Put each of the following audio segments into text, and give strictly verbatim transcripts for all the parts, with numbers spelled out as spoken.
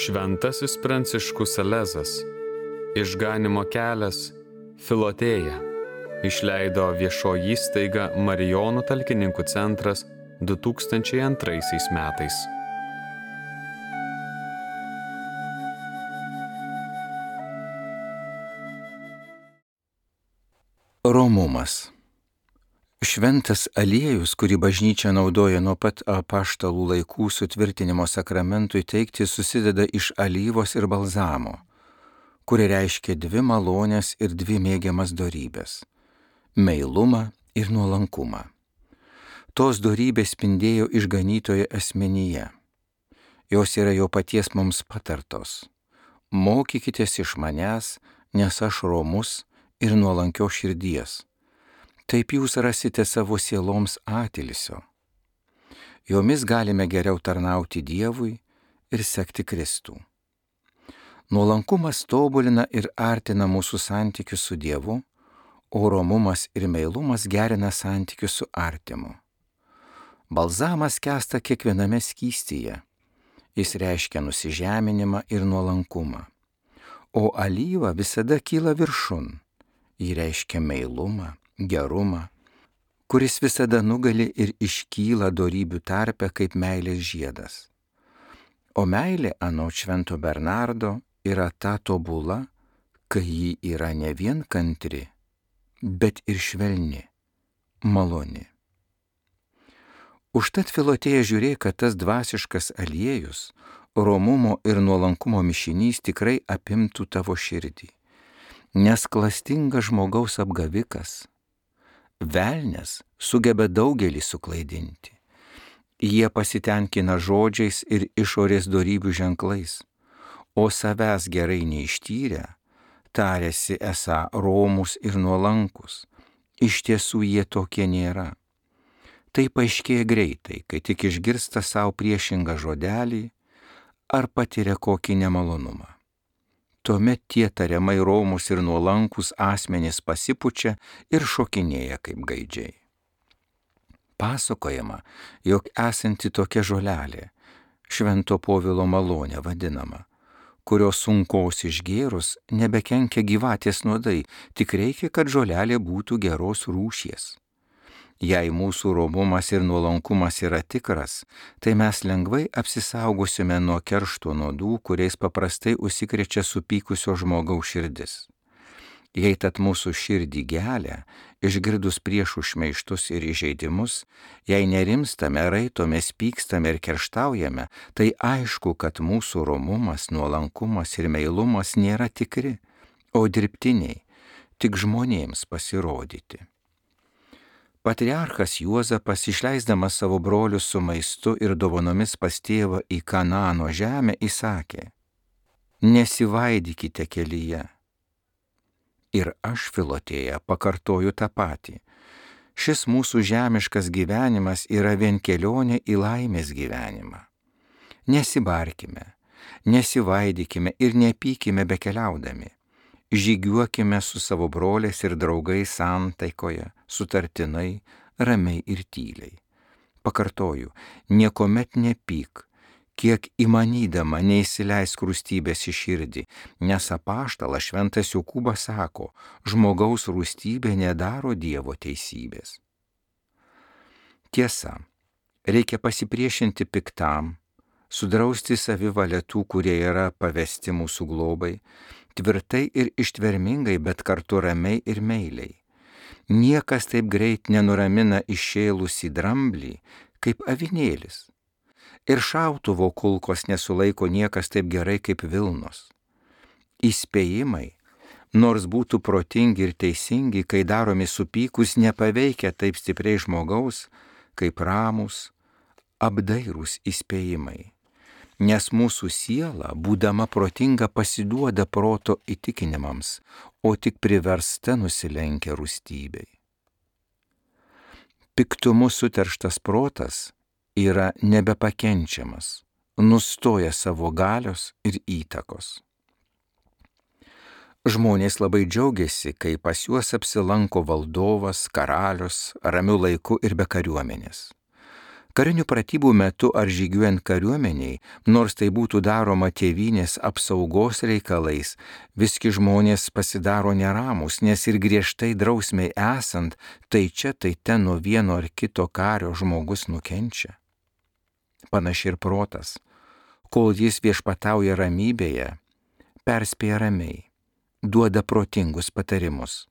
Šventasis Pranciškus Salezas, Išganymo kelias, Filotėja, išleido viešoji įstaiga Marijonų talkininkų centras du tūkstančiai antraisiais metais. Romumas. Šventas aliejus, kurį bažnyčia naudoja nuo pat apaštalų laikų sutvirtinimo sakramentui teikti, susideda iš alyvos ir balzamo, kuri reiškia dvi malonės ir dvi mėgiamas dorybės – meilumą ir nuolankumą. Tos dorybės spindėjo išganytojo asmenyje. Jos yra jo paties mums patartos. Mokykitės iš manęs, nes aš romus ir nuolankios širdies. Taip jūs rasite savo sieloms atilsio. Jomis galime geriau tarnauti Dievui ir sekti Kristų. Nuolankumas tobulina ir artina mūsų santykius su Dievu, o romumas ir meilumas gerina santykius su artimu. Balzamas skęsta kiekviename skystyje. Jis reiškia nusižeminimą ir nuolankumą. O alyva visada kyla viršun. Ji reiškia meilumą, gerumą, kuris visada nugali ir iškyla dorybių tarpe kaip meilės žiedas. O meilė anot švento Bernardo yra ta tobula, kai ji yra ne vien kantri, bet ir švelni, maloni. Užtat Filotėja žiūrėk, kad tas dvasiškas aliejus, romumo ir nuolankumo mišinys tikrai apimtų tavo širdį. Nes klastingas žmogaus apgavikas, velnias sugeba daugelį suklaidinti. Jie pasitenkina žodžiais ir išorės dorybių ženklais, o savęs gerai neištyrę, tariasi esą romus ir nuolankus. Iš tiesų jie tokie nėra. Tai paaiškėja greitai, kai tik išgirsta savo priešingą žodelį ar patiria kokį nemalonumą. Tuomet tie tariamai romus ir nuolankus asmenys pasipučia ir šokinėja kaip gaidžiai. Pasakojama, jog esanti tokia žolelė, Švento Povilo malonė vadinama, kurios sunkos išgėrus nebekenkia gyvatės nuodai, tik reikia, kad žolelė būtų geros rūšies. Jei mūsų romumas ir nuolankumas yra tikras, tai mes lengvai apsisaugosime nuo keršto nuodų, kuriais paprastai užsikrečia supykusio žmogaus širdis. Jei tad mūsų širdį gelia, išgirdus priešų šmeižtus ir įžeidimus, jei nerimstame, raitomės, pykstame ir kerštaujame, tai aišku, kad mūsų romumas, nuolankumas ir meilumas nėra tikri, o dirbtiniai, tik žmonėms pasirodyti. Patriarchas Juozapas, išleisdamas savo brolius su maistu ir dovanomis pas tėvą į Kanaano žemę, įsakė: nesivaidykite kelyje. Ir aš, Filotėja, pakartoju tą patį. Šis mūsų žemiškas gyvenimas yra vien kelionė į laimės gyvenimą. Nesibarkime, nesivaidykime ir nepykime bekeliaudami. Žygiuokime su savo broliais ir draugais santaikoje, sutartinai, ramiai ir tyliai. Pakartoju, niekuomet nepyk, kiek įmanydama neįsileisk rūstybės į širdį, nes apaštalas šventas Jokūbas sako, žmogaus rūstybė nedaro Dievo teisybės. Tiesa, reikia pasipriešinti piktam, sudrausti savivalę tų, kurie yra pavesti mūsų globai, tvirtai ir ištvermingai, bet kartu ramiai ir meiliai. Niekas taip greit nenuramina iššėlusį dramblį, kaip avinėlis. Ir šautuvo kulkos nesulaiko niekas taip gerai kaip vilnos. Įspėjimai, nors būtų protingi ir teisingi, kai daromi supykus, nepaveikia taip stipriai žmogaus, kaip ramus, apdairūs įspėjimai. Nes mūsų siela, būdama protinga, pasiduoda proto įtikinimams, o tik priversta nusilenkia rūstybei. Piktumu suterštas protas yra nebepakenčiamas, nustoja savo galios ir įtakos. Žmonės labai džiaugiasi, kai pas juos apsilanko valdovas, karalius, ramiu laiku ir be kariuomenės. Karinių pratybų metu ar žygiuojant kariuomeniai, nors tai būtų daroma tėvynės apsaugos reikalais, visgi žmonės pasidaro neramus, nes ir griežtai drausmiai esant, tai čia tai ten nuo vieno ar kito kario žmogus nukenčia. Panašiai ir protas, kol jis viešpatauja ramybėje, perspėja ramiai, duoda protingus patarimus,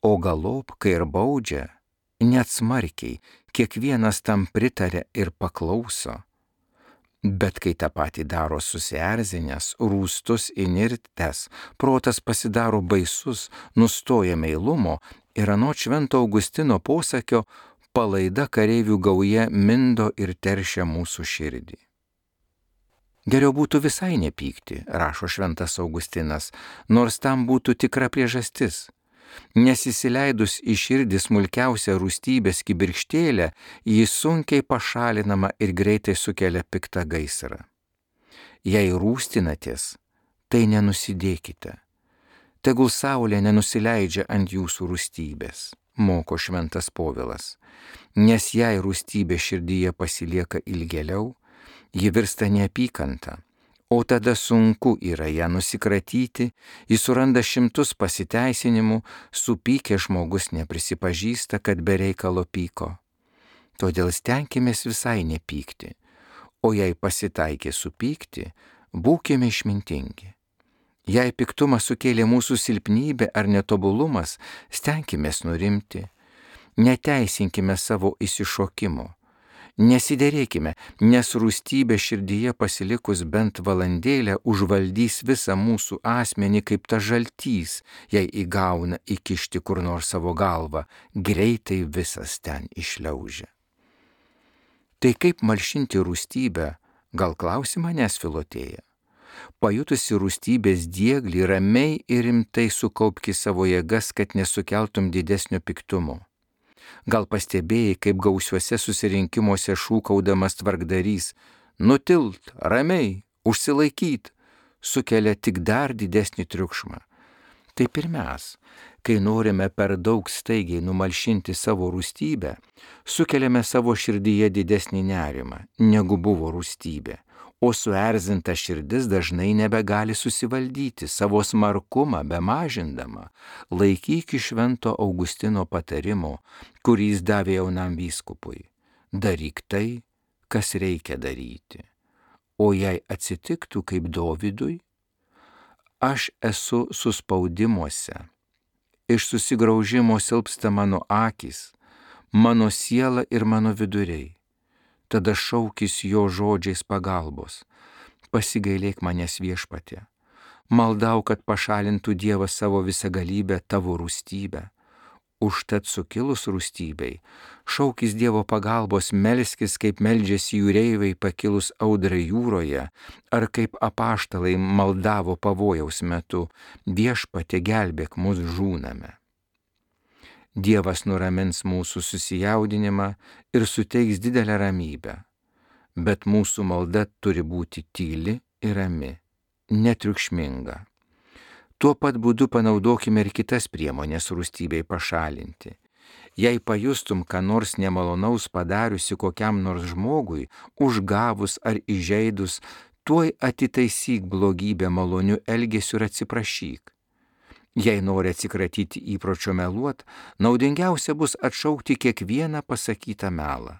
o galop, kai ir baudžia, net smarkiai, kiekvienas tam pritarė ir paklauso. Bet kai tą patį daro susierzinęs, rūstus, įnirtęs, protas pasidaro baisus, nustoja meilumo ir anot Švento Augustino posakio, palaida kareivių gauja mindo ir teršia mūsų širdį. Geriau būtų visai nepykti, rašo Šventas Augustinas, nors tam būtų tikra priežastis. Nes įsileidus į širdį smulkiausią rūstybės kibirkštėlę, ji sunkiai pašalinama ir greitai sukelia piktą gaisrą. Jei rūstinatės, tai nenusidėkite. Tegul saulė nenusileidžia ant jūsų rūstybės, moko Šventas Povilas, nes jei rūstybė širdyje pasilieka ilgėliau, ji virsta neapykanta. O tada sunku yra ją nusikratyti, jis suranda šimtus pasiteisinimų, supykę žmogus neprisipažįsta, kad be reikalo pyko. Todėl stenkimės visai nepykti, o jei pasitaikė supykti, būkime išmintingi. Jei piktumas sukėlė mūsų silpnybė ar netobulumas, stenkimės nurimti, neteisinkime savo įsišokimo. Nesiderėkime, nes rūstybė širdyje pasilikus bent valandėlę užvaldys visą mūsų asmenį kaip ta žaltys, jei įgauna įkišti kur nors savo galvą, greitai visas ten išliaužia. Tai kaip malšinti rūstybę, gal klausi manęs, Filotėja? Pajutusi rūstybės dieglį, ramiai ir rimtai sukaupki savo jėgas, kad nesukeltum didesnio piktumo. Gal pastebėjai, kaip gausiuose susirinkimuose šūkaudamas tvarkdarys, nutilt, ramiai, užsilaikyt, sukelia tik dar didesnį triukšmą. Taip ir mes, kai norime per daug staigiai numalšinti savo rūstybę, sukeliame savo širdyje didesnį nerimą, negu buvo rūstybė, o suerzinta širdis dažnai nebegali susivaldyti, savo smarkumą bemažindama. Laikyk Švento Augustino patarimo, kurį jis davė jaunam vyskupui. Daryk tai, kas reikia daryti. O jei atsitiktų kaip Dovydui, aš esu suspaudimuose, iš susigraužimo silpsta mano akys, mano siela ir mano viduriai. Tada šaukis jo žodžiais pagalbos. Pasigailėk manęs, Viešpatie. Maldau, kad pašalintų Dievas savo visagalybę tavo rūstybę. Užtat sukilus rūstybei, šaukis Dievo pagalbos, melskis, kaip meldžiasi jūreiviai pakilus audrai jūroje, ar kaip apaštalai maldavo pavojaus metu, Viešpatie, gelbėk mus, žūname. Dievas nuramins mūsų susijaudinimą ir suteiks didelę ramybę, bet mūsų malda turi būti tyli ir rami, netriukšminga. Tuo pat būdu panaudokime ir kitas priemonės rūstybei pašalinti. Jei pajustum, ką nors nemalonaus padariusi kokiam nors žmogui, užgavus ar įžeidus, tuoj atitaisyk blogybę maloniu elgesiu ir atsiprašyk. Jei nori atsikratyti įpročio meluot, naudingiausia bus atšaukti kiekvieną pasakytą melą.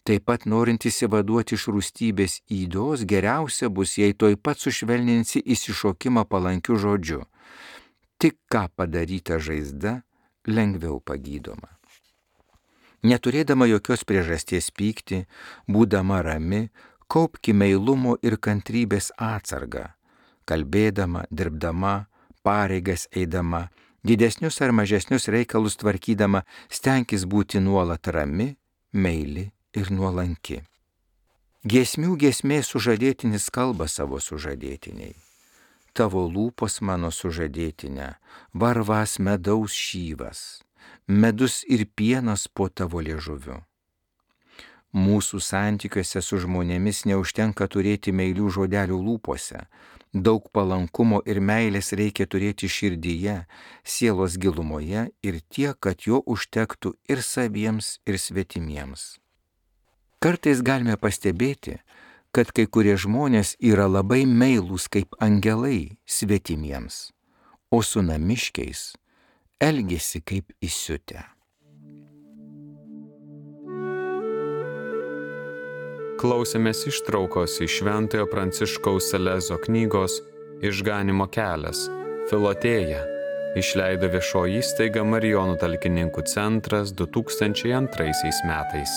Taip pat norint įsivaduoti iš rūstybės ydos, geriausia bus, jei toj pat sušvelninsi įsišokimą palankiu žodžiu. Tik ką padaryta žaizda, lengviau pagydoma. Neturėdama jokios priežasties pykti, būdama rami, kaupki meilumo ir kantrybės atsargą, kalbėdama, dirbdama, pareigas eidama, didesnius ar mažesnius reikalus tvarkydama, stenkis būti nuolat rami, meili ir nuolanki. Giesmių giesmė sužadėtinis kalba savo sužadėtiniai. Tavo lūpos mano sužadėtinė, varvas medaus šyvas, medus ir pienas po tavo liežuviu. Mūsų santykiuose su žmonėmis neužtenka turėti meilių žodelių lūpose. Daug palankumo ir meilės reikia turėti širdyje, sielos gilumoje ir tiek, kad jo užtektų ir saviems, ir svetimiems. Kartais galime pastebėti, kad kai kurie žmonės yra labai meilūs kaip angelai svetimiems, o su namiškiais elgiasi kaip įsiutę. Klausėmės ištraukos iš Šventojo Pranciškaus Salezo knygos Išganimo kelias – Filotėja, išleido viešoji įstaiga Marijonų talkininkų centras du tūkstančiai antraisiais metais.